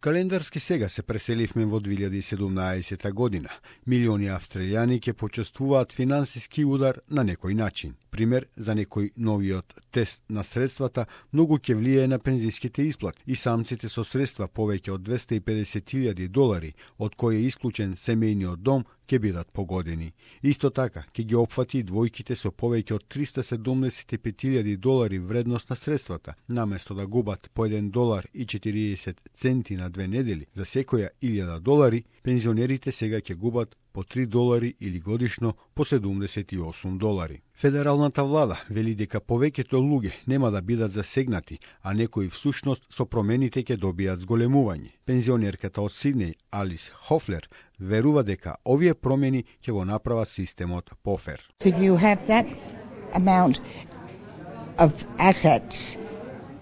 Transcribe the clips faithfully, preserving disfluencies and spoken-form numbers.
Календарски сега се преселивме во две илјади и седумнаесета година. Милиони австралијани ќе почувствуваат финансиски удар на некој начин. Пример, за некој новиот тест на средствата многу ќе влијае на пензиските исплати и самците со средства повеќе од двесте и педесет илјади долари, од кои е исклучен семејниот дом, ќе бидат погодени. Исто така, ќе ги опфати и двојките со повеќе од триста седумдесет и пет илјади долари вредност на средствата, наместо да губат по еден долар и четириесет центи на две недели за секоја илјада долари, пензионерите сега ќе губат по три долари или годишно по седумдесет и осум долари. Федералната влада вели дека повеќето луѓе нема да бидат засегнати, а некои всушност со промените ќе добијат зголемување. Пензионерката од Сиднеј, Алис Хофлер, верува дека овие промени ќе го направат системот пофер. If you have that amount of assets,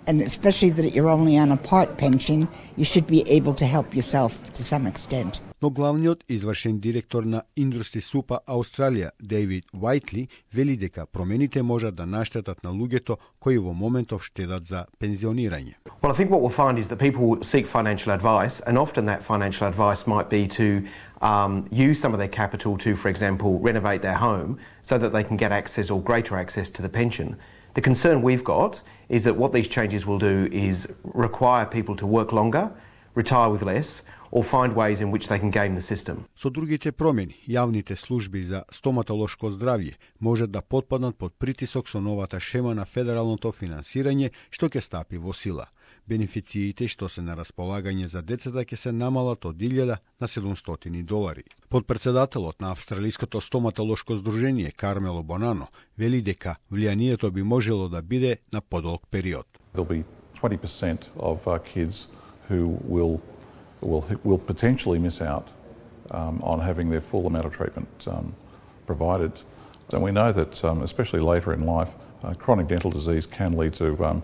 and especially that you're only on a part pension, you should be able to help yourself to some extent. Но главниот извршен директор на Индустри Супа Австралија, Дейвид Уајтли, вели дека промените можат да наштетат на луѓето кои во моментов штедат за пензионирање. Well, I think what we'll find is that people seek financial advice, and often that financial advice might be to um, use some of their capital to, for example, renovate their home so that they can get access or greater access to the pension. The concern we've got is that what these changes will do is require people to work longer, retire with less, or find ways in which they can game the system. Со другите промени, јавните служби за стоматолошко здравје можат да потпаднат под притисок со новата шема на федералното финансирање што ќе стапи во сила. Бенефициите што се на располагање за децата ќе се намалат од илјада на седумстотини долари. Подпредседателот на Австралиското стоматолошко здружение Кармело Бонано вели дека влијанието би можело да биде на подолг период. There'll be twenty percent of uh, kids who will will will potentially miss out um, on having their full amount of treatment um, provided. And we know that, um, especially later in life, uh, chronic dental disease can lead to um,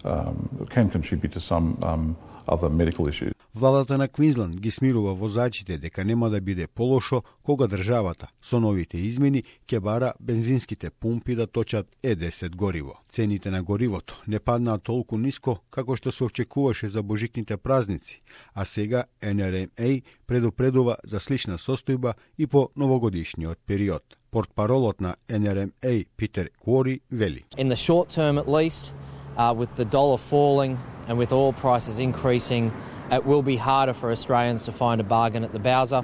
um, can contribute to some um, other medical issues. Владата на Квинсленд ги смирува возачите дека нема да биде полошо кога државата со новите измени ќе бара бензинските пумпи да точат Е десет гориво. Цените на горивото не паднаа толку ниско како што се очекуваше за божикните празници, а сега Ен Ар Ем Ей предупредува за слична состојба и по новогодишниот период. Портпаролот на Ен Ар Ем Ей Питер Куори вели: In the short term at least, uh, with the dollar falling and with oil prices increasing, it will be harder for Australians to find a bargain at the Bowser.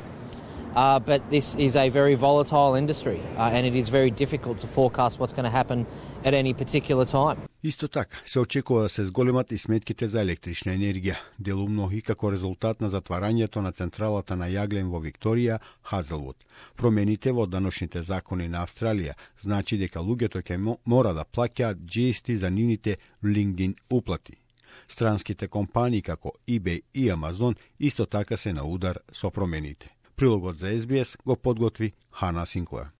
Uh, but this is a very volatile industry uh, and it is very difficult to forecast what's going to happen at any particular time. Исто така, се очекува да се зголемат и сметките за електрична енергија, делумно и како резултат на затварањето на централата на јаглен во Викторија, Хазелвуд. Промените во даночните закони на Австралија значи дека луѓето ќе мора да плаќаат Джи Ес Ти за нивните LinkedIn уплати. Странските компании како eBay и Amazon исто така се на удар со промените. Прилогот за Ес Би Ес го подготви Хана Синклер.